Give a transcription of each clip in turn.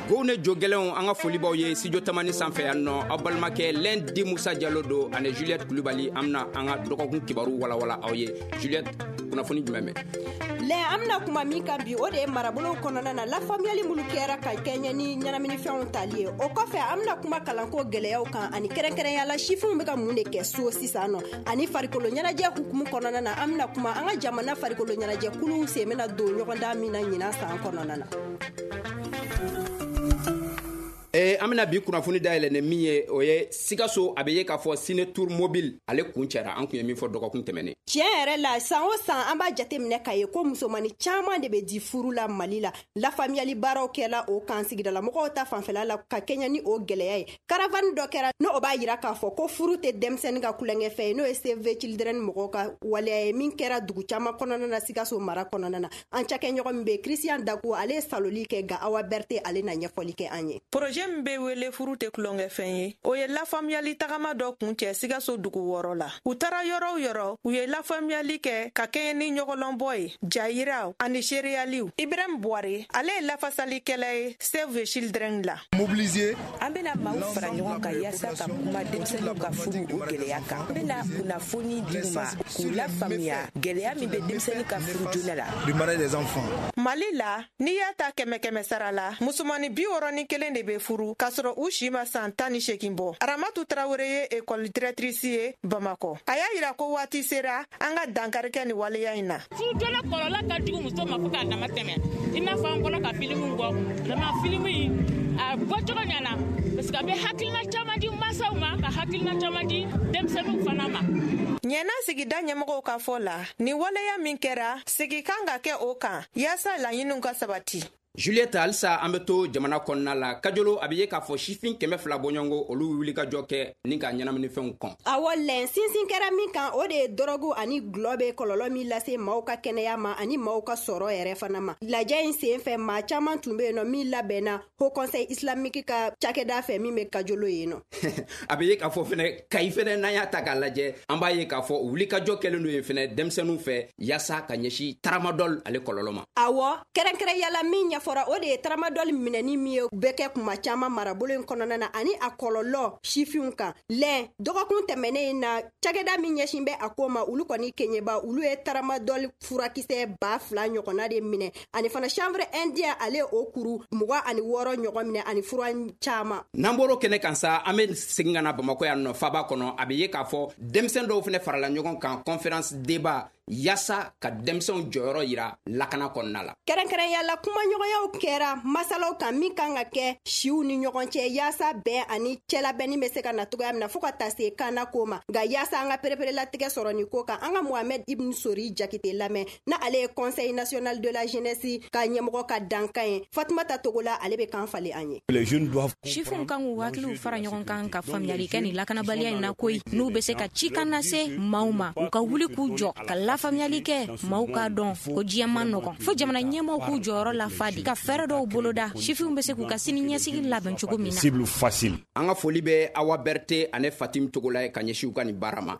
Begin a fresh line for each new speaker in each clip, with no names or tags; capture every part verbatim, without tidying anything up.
Go ne jo gɛlɛnw, an ka folibaw ye studio Tamani sanfɛ yan nɔ. Aw balimakɛ Lundi Musa Jalo don ani Juliette Kulibali. An bɛna an ka dɔgɔkun kibaru walawala aw ye. Juliette, kunnafoni jumɛn bɛ?
Lɛ, an bɛna kuma min kan bi, o de ye marabolow kɔnɔna na lafaamuyali minnu kɛra ka kɛɲɛ ni ɲɛnaminifɛnw tali ye. O kɔfɛ, an bɛna kuma kalanko gɛlɛyaw kan, ani kɛrɛnkɛrɛnya la, sifinw bɛ ka mun de kɛ so sisan nɔ. Ani farikolo ɲɛnajɛ hukumu kɔnɔna na, an bɛna kuma an ka jamana farikolo ɲɛnajɛ kuluw sen bɛna don ɲɔgɔndan min na ɲinan san kɔnɔna na.
Eh, an bɛna bi kunnafoni dayɛlɛ ni min ye, o ye Sikaso, a bɛ ye k'a fɔ ciné tour mobile, ale kun cɛra, an kun ye min fɔ dɔgɔkun tɛmɛnen.
Tiɲɛ yɛrɛ la, san o san an b'a jateminɛ k'a ye ko musomani caman de bɛ di furu la Mali la. Lafaamuyali baaraw kɛla o kan sigidala mɔgɔw ta fanfɛla la ka kɛɲɛ ni o gɛlɛya ye. Caravane dɔ kɛra, n'o o b'a yira k'a fɔ ko furu tɛ denmisɛnnin ka kulonkɛfɛn ye, n'o ye Save the Children mɔgɔw ka waleya ye, min kɛra dugu caman kɔnɔna na Sikaso mara kɔnɔna na. An cakɛɲɔgɔn min bɛ, Christian Dago, ale ye saloli kɛ, nka Awa Berte, ale na ɲɛfɔli kɛ an ye.
Projet min bɛ wele furu tɛ kulonkɛfɛn ye, o ye lafaamuyali tagama dɔ kun cɛ Sikaso dugu wɔɔrɔ la. U taara yɔrɔ o yɔrɔ, u ye lafaamuyali kɛ ka kɛɲɛ ni ɲɔgɔlɔnbɔ ye, jayiraw ani seereyaliw. Ibrahim Buware, ale ye lafasalikɛla ye Save the Children la.
Mobiliser.
An bɛna maaw fara ɲɔgɔn kan yaasa ka kuma denmisɛnninw ka furu o gɛlɛya kan. An bɛna kunnafoni di u ma k'u lafaamuya gɛlɛya min bɛ denmisɛnnin ka furu joona la.
Du mariage des enfants.
Mali la, n'i y'a ta kɛmɛ kɛmɛ sara la, musomani bi wɔɔrɔ ni kelen de bɛ furu k'a sɔrɔ u si ma san tan ni seegin bɔ. Aramatu Tarawele ye ekɔli directrice ye Bamakɔ. A y'a yira ko waati sera an ka dankari kɛ nin waleya in na.
Furu joona kɔlɔlɔ ka jugu muso ma fo k'a dama tɛmɛ. I n'a fɔ an bɔra ka filimu bɔ, vraiment filimu in a bɔcogo ɲɛna, parce que a bɛ hakilina caman di mansaw ma, ka hakilina caman di denmisɛnninw fana ma.
Ɲɛna sigida ɲɛmɔgɔw ka fɔ la, nin waleya min kɛra, sigi kan ka kɛ o kan yaasa laɲiniw ka sabati.
Juliette, halisa an bɛ to jamana kɔnɔna la. Kajolo, a bɛ ye k'a fɔ sifin kɛmɛ fila bɔɲɔgɔnko, olu wuli ka jɔ kɛ ni ka ɲɛnaminifɛnw kɔn.
Awɔ lɛn, sinsin kɛra min kan, o de ye dɔrɔgu ani gulɔ bɛ kɔlɔlɔ min lase maaw ka kɛnɛya ma ani maaw ka sɔrɔ yɛrɛ fana ma. Lajɛ in sen fɛ, maa caman tun bɛ yen nɔ min labɛnna Haut Conseil islamique ka cakɛda fɛ min bɛ Kajolo yen nɔ.
A bɛ ye k'a fɔ fɛnɛ, Kayi fɛnɛ, n'an y'a ta k'a lajɛ, an b'a ye k'a fɔ wulikajɔ kɛlen don yen fɛnɛ denmisɛnninw fɛ yaasa ka ɲɛsin tramadol ale kɔlɔlɔ ma.
Awɔ, kɛrɛnkɛrɛnyala min ɲɛfɔra, o de ye tramadol minɛni min ye bɛ kɛ kuma caman marabolo in kɔnɔna na ani a kɔlɔlɔ sifinw kan. Lɛn, dɔgɔkun tɛmɛnen in na, cakɛda min ɲɛsin bɛ a ko ma, olu kɔni keɲɛba, olu ye tramadol furakisɛ ba fila ɲɔgɔnna de minɛ, ani fana chanvre indien, ale o kuru mugan ani wɔɔrɔ ɲɔgɔn minɛ, ani fura caman.
N'an bɔr'o kɛnɛ kan sa, an bɛ segin ka na Bamakɔ yan nɔ, faba kɔnɔ. A bɛ ye k'a fɔ denmisɛn dɔw fɛnɛ farala ɲɔgɔn kan, conférence débat, yaasa ka denmisɛnw jɔyɔrɔ yira lakana kɔnɔna la.
Kɛrɛnkɛrɛnya la, kumaɲɔgɔnyaw kɛra masalaw kan min kan ka kɛ siw ni ɲɔgɔn cɛ yaasa bɛn ani cɛlabɛnni bɛ se ka na cogoya min na fɔɔ ka taa se kana ko ma. Nka yaasa an ka pereperelatigɛ sɔrɔ nin ko kan, an ka Mohamed Ibn Sori Jakite lamɛn, na ale ye Conseil national de la jeunesse ka ɲɛmɔgɔ ka dankan ye. Fatumata Togola, ale bɛ kan falen an ye.
Sifinw kan k'u hakiliw fara ɲɔgɔn kan ka faamuyali kɛ nin lakanabaliya in na koyi, n'u bɛ se ka cikan lase maaw ma, u ka wuli k'u jɔ ka lafaamuyali kɛ, maaw k'a dɔn ko diɲɛ man nɔgɔn, fo jamana ɲɛmaaw k'u jɔyɔrɔ lafa de ka fɛɛrɛ dɔw boloda, sifinw bɛ se k'u ka sini ɲɛsigi labɛn cogo min na.
An ka foli bɛ Awa Berte ani Fatim Togola ye ka ɲɛsin u ka nin baara ma.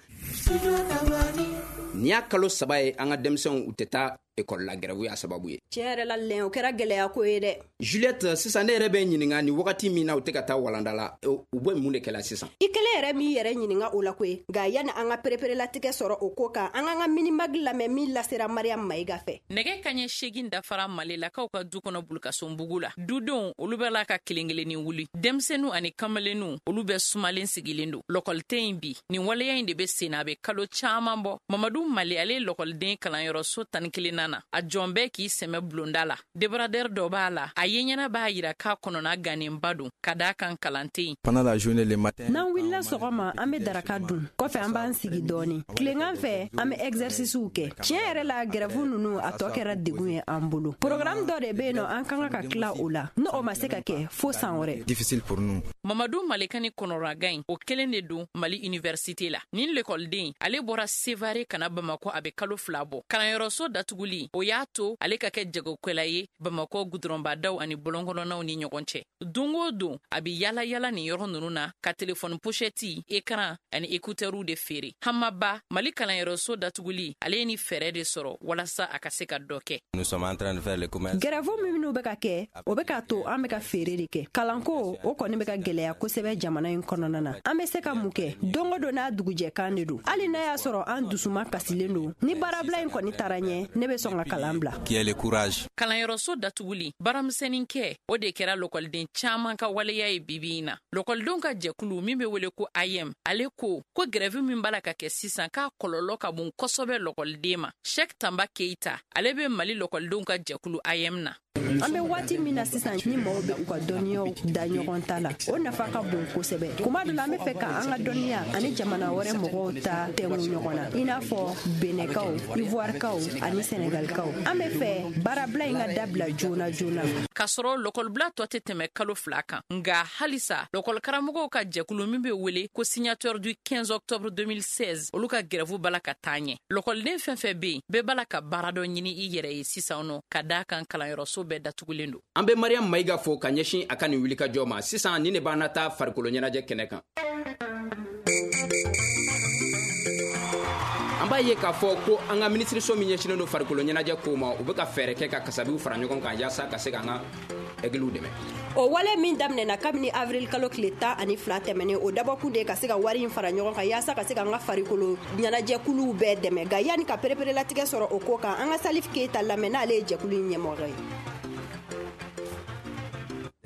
Nin y'a kalo saba ye an ka denmisɛnw u tɛ taa ekɔli la, gɛrɛwu y'a sababu ye.
Tiɲɛ yɛrɛ la lɛn, o kɛra gɛlɛya ko ye dɛ.
Juliette, sisan ne yɛrɛ bɛ ɲininka, nin wagati min na u tɛ ka taa walanda la, u bɛ mun de kɛla sisan?
I kelen yɛrɛ m'i yɛrɛ ɲininka o la koyi. Nka yanni an ka pereperelatigɛ sɔrɔ o ko kan, an k'an ka minimag lamɛn min lasera Mariam Mayiga fɛ.
Nɛgɛ kaɲɛ seegin dafara Malilakaw ka du kɔnɔ Bulukasonbugu la. Dudenw olu bɛ la ka kelen kelenni wuli. Denmisɛnninw ani kamalenninw olu bɛ sumalen sigilen don. Lɔkɔli tɛ yen bi. Nin waleya in de bɛ sen na, a bɛ kalo caman bɔ. Mamadu Mali, ale ye lɔkɔliden kalanyɔrɔso tan ni kelen na. A jɔn bɛɛ k'i sɛmɛ bulonda la. Débradeur dɔ b'a la, a ye ɲɛna b'a yira k'a kɔnɔna gannenba don ka d'a kan kalan tɛ yen.
N'an wulila sɔgɔma, an bɛ daraka dun, kɔfɛ an b'an sigi dɔɔni. Tilegan fɛ, an bɛ exercicew kɛ. Tiɲɛ yɛrɛ la, grève ninnu a tɔ kɛra degun ye an bolo. Programme dɔ de bɛ yen nɔ, an kan ka tila o la, n'o o ma se ka kɛ fo san wɛrɛ.
Mamadu Malika ni kɔnɔragan in, o kelen de don Mali université la. Nin lekɔliden, ale bɔra Sevare ka na Bamakɔ, a bɛ kalo fila bɔ. Kalanyɔrɔso datuguli datuguli o y'a to ale ka kɛ jagokɛla ye Bamakɔ gudɔrɔnbadaw ani bɔlɔnkɔnɔnaw ni ɲɔgɔn cɛ. Don o don a bɛ yala yala nin yɔrɔ ninnu na ka telefɔni pochette, écran ani écouteurw de feere. Hamaba, Mali kalanyɔrɔso datuguli, ale ye ni fɛɛrɛ de sɔrɔ walasa a ka se ka dɔ kɛ.
Gɛrɛfu minnu bɛ ka kɛ, o bɛ k'a to an bɛ ka feere de kɛ. Kalanko o kɔni bɛ ka gɛlɛya kosɛbɛ jamana in kɔnɔna na. An bɛ se ka mun kɛ? Don o don n'a dugujɛkan de don. Hali n'a y'a sɔrɔ an dusuma kasilen don, ni baarabila in kɔni taara ɲɛ, ne bɛ sɔn ka kalan bila.
Kalanyɔrɔso datuguli, baaramisɛnnin kɛ, o de kɛra lɔkɔliden caman ka waleya ye bibi in na. Lɔkɔlidenw ka jɛkulu min bɛ wele ko A M, ale ko ko grève min b'a la ka kɛ sisan k'a kɔlɔlɔ ka bon kosɛbɛ lɔkɔliden ma. Cheikh Tamba Keita, ale bɛ Mali lɔkɔlidenw ka jɛkulu A M na.
An bɛ waati min na sisan, ni maaw bɛ u ka dɔnniyaw da ɲɔgɔn ta la, o nafa ka bon kosɛbɛ. Kuma dɔ la, an bɛ fɛ ka an ka dɔnniya ani jamana wɛrɛ mɔgɔw ta tɛnku ɲɔgɔn na, i n'a fɔ Benɛkaw, Ivoirekaw ani Senegalikaw. An bɛ fɛ baarabila in ka dabila joona joona.
K'a sɔrɔ lɔkɔlibila tɔ tɛ tɛmɛ kalo fila kan, nka halisa lɔkɔlikaramɔgɔw ka jɛkulu min bɛ wele ko signature du quinze octobre deux mille seize, olu ka grève b'a la ka taa ɲɛ. Lɔkɔliden fɛn fɛn bɛ yen, bɛɛ b'a la ka baara dɔ ɲini i yɛrɛ ye sisan nɔ, ka d'a kan kalanyɔrɔso bɛɛ datugulen don.
An bɛ Mariam Mayiga fo ka ɲɛsin a ka nin wulikajɔ ma. Sisan ni ne b'an na taa farikolo ɲɛnajɛ kɛnɛ kan. An b'a ye k'a fɔ ko an ka minisiriso min ɲɛsinnen don farikolo ɲɛnajɛ kow ma, u bɛ ka fɛɛrɛ kɛ ka kasabiw fara ɲɔgɔn kan yaasa ka se k'an ka ɛgiliw dɛmɛ.
O wale min daminɛna kabini avril kalo tile tan ani fila tɛmɛnen, o dabɔkun de ka se ka wari in fara ɲɔgɔn kan yaasa ka se k'an ka farikolo ɲɛnajɛkuluw bɛɛ dɛmɛ. Nka yanni ka pereperelatigɛ sɔrɔ o ko kan, an ka Salif Keita lamɛn, n'ale ye jɛkulu in ɲɛmɔgɔ ye.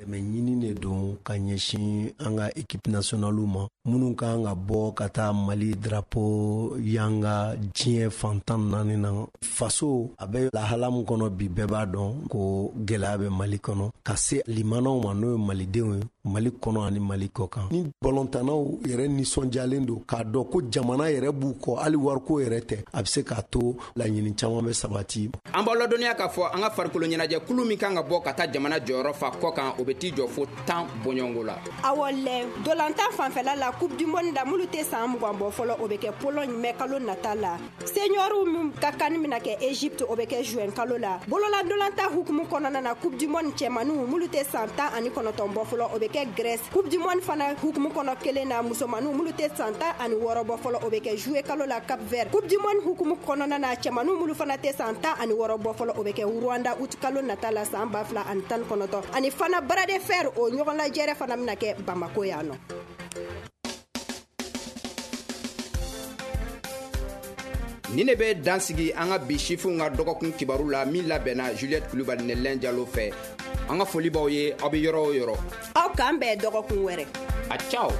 Dɛmɛ ɲini de don ka ɲɛsin an ka équipe nationale ma, minnu kan ka bɔ ka taa Mali drapeau yanga diɲɛ fan tan naani na. Faso a bɛ lahala min kɔnɔ bi, bɛɛ b'a dɔn ko gɛlɛya bɛ Mali kɔnɔ, ka se limanaw ma, n'o ye malidenw ye Mali kɔnɔ ani Mali kɔ kan. Ni balontannaw yɛrɛ nisɔndiyalen don k'a dɔn ko jamana yɛrɛ b'u kɔ, hali wariko yɛrɛ tɛ, a bɛ se k'a to laɲini caman bɛ sabati.
An b'aw ladɔnniya k'a fɔ an ka farikolo ɲɛnajɛ kulu min kan ka bɔ ka taa jamana jɔyɔrɔ fa kɔ kan, o bɛ t'i jɔ fo tan bɔɲɔgɔnko la.
Awɔ lɛ, dolantan fanfɛla la, Coupe du monde la, minnu tɛ san mugan bɔ fɔlɔ, o bɛ kɛ Pologne mɛ kalo nata la. Seniorw min ka kan bɛna kɛ Egypte, o bɛ kɛ juin kalo la. Bolola dolantan hukumu kɔnɔna na, Coupe du monde cɛmaninw minnu tɛ san tan ani kɔnɔntɔn bɔ fɔlɔ, o bɛ kɛ Grèce. Coupe du monde fana hukumu kɔnɔ kelen na, musomaninw minnu tɛ san tan ani wɔɔrɔ bɔ fɔlɔ, o bɛ kɛ juillet kalo la Cap Vert. Coupe du monde hukumu kɔnɔna na, cɛmaninw minnu fana tɛ san tan ani wɔɔrɔ bɔ fɔlɔ, o bɛ kɛ Rwanda août kalo nata la san ba fila ani tan ni kɔnɔntɔn. Ani fana bras de fer, o ɲɔgɔn lajɛrɛ fana bɛna kɛ Bamako yan nɔ.
Ni ne bɛ dan sigi an ka bi sifinw ka dɔgɔkun kibaru la min labɛnna Juliette Kulubali ni Lɛn Jalo fɛ. An ka foli b'aw ye, aw bɛ yɔrɔ o yɔrɔ.
Aw k'an bɛn dɔgɔkun wɛrɛ.
A ciao.